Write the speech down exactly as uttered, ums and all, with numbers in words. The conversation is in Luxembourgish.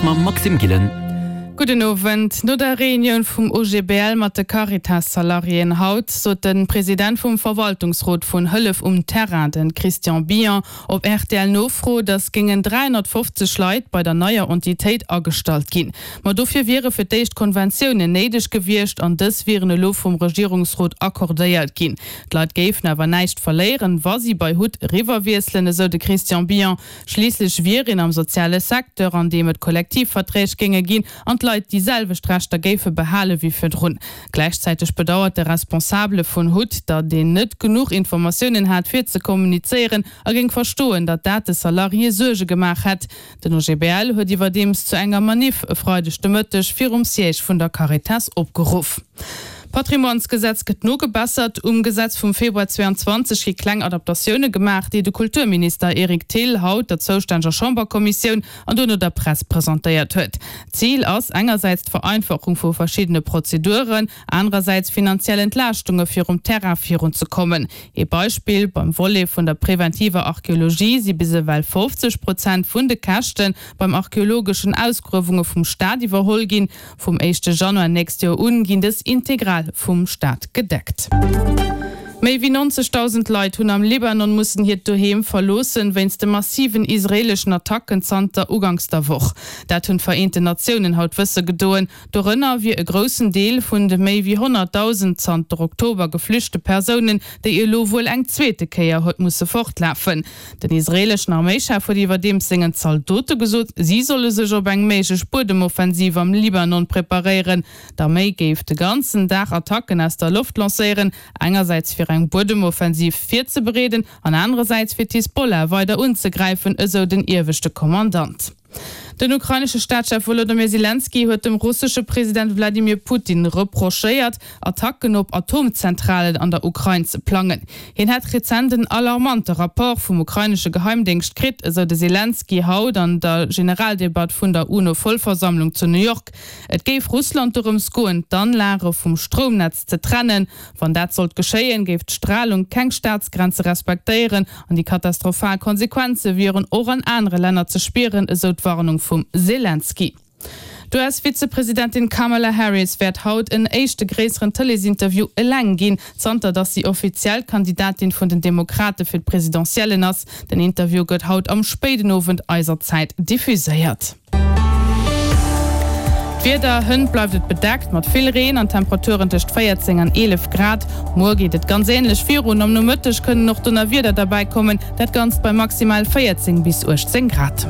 mam Maxime Gillen. Gudden Owend. No der Reunioun vum O G B L mat de Caritas-Salariéen haut sot de President vum Verwaltungsrot vun Hëllef um Terrain, de Christian Billon, op R T L-Nofro, datt géingen dräihonnertfofzeg Leit bei der neier Entitéit agestallt ginn. Ma dofir wiere fir d'éischt Konventiounen néideg gewiescht an dës wieren elo vum Regierungsrot accordéiert ginn. D'Leit géifen awer näischt verléieren, wa si bei HUT eriwwerwiesselen, esou de Christian Billon. Schliisslech wier een am soziale Secteur, an deem et Kollektivverträg géinge ginn an d'Leit déi selwecht Rechter géife behale wéi virdrun. Gläichzäiteg bedauert de Responsabele vun HUT, datt een net genuch Informatiounen hat fir ze kommunizéieren a géing verstoen, datt dat de Salariéë Suerge gemaach hätt. Den O G B L huet iwwerdeems zu enger Maniff e Freideg de Mëtteg virum Siège vun der Caritas opgeruff. D'Patrimoinesgesetz gëtt nogebessert. Um Gesetz vum Februar zweeanzwanzeg gi kleng Adaptatioune gemaach, déi de Kulturminister Eric Thill haut der zoustänneger Chamberkommissioun an duerno der Press presentéiert huet. Zil ass engersäits d'Vereinfachung vu verschiddene Prozeduren, anerersäits finanziell Entlaaschtunge fir um Terrain virunzekommen. Ee Beispill, Beim Volet vun der preventiver Archeologie si bis ewell fofzeg Prozent vun de Käschte beim archeologeschen Ausgruewunge vum Staat iwwerholl ginn. Vum éischte Januar nächst Joer un ginn dës integral vum Staat gedeckt. Méi wéi nonzegdausend Leit hunn am Libanon mussen hiert Doheem verloossen, wéinst de massiven israeeleschen Attacken zanter uganks der Woch. Dat hunn d'Vereenten Natiounen haut wësse gedoen. Dorënner wier e groussen Deel vun de méi wéi honnertdausend zanter Oktober geflüchte Persounen, déi elo wuel eng zweete Kéier huet musse fortlafen. Den israeeleschen Arméischef huet iwwerdeems sengen Zaldote gesot, si solle sech op eng méiglech Buedemoffensiv am Libanon preparéieren. D'Arméi géif de ganzen Dag Attacken aus der Loft lancéieren, engersäits fir eng Buedemoffensiv virzebereeden an anerersäits fir d'Hisbollah weider unzegräifen, esou den ieweschte Kommandant. Den ukrainesche Staatschef Wolodymyr Selenskyj huet dem russesche President Wladimir Putin reprochéiert, Attacken op Atomzentralen an der Ukrain ze plangen. Hien hätt rezent en alarmante Rapport vum ukrainesche Geheimdéngscht kritt, esou de Selenskyj haut an der Generaldebatt vun der U N O-Vollversammlung zu New York. Et géif Russland dorëms goen, d'Anlage vum Stroumnetz ze trennen. Wann dat sollt geschéien, géif d'Stralung keng Staatsgrenze respektéieren an déi katastrophal Konsequenze wieren och an anere Länner ze spieren, esou d'Warnung vum Selenskyj. D'U S-Vizepresidentin Kamala Harris wäert haut en éischte gréisseren Tëleesinterview eleng ginn, zanter datt si offiziell Kandidatin vun den Demokrate fir d'Presidentiellen ass. Den Interview gëtt haut am spéiden Owend eiser Zäit diffuséiert. D'Wieder, Hënt bleift et bedeckt mat vill Reen an Temperaturen tëscht véierzéng an eelef Grad. Muer geet et ganz änlech virun, am Nomëtteg kënnen och Donnerwieder derbäi kommen, dat Ganzt bei maximal véierzéng bis uechtzéng Grad.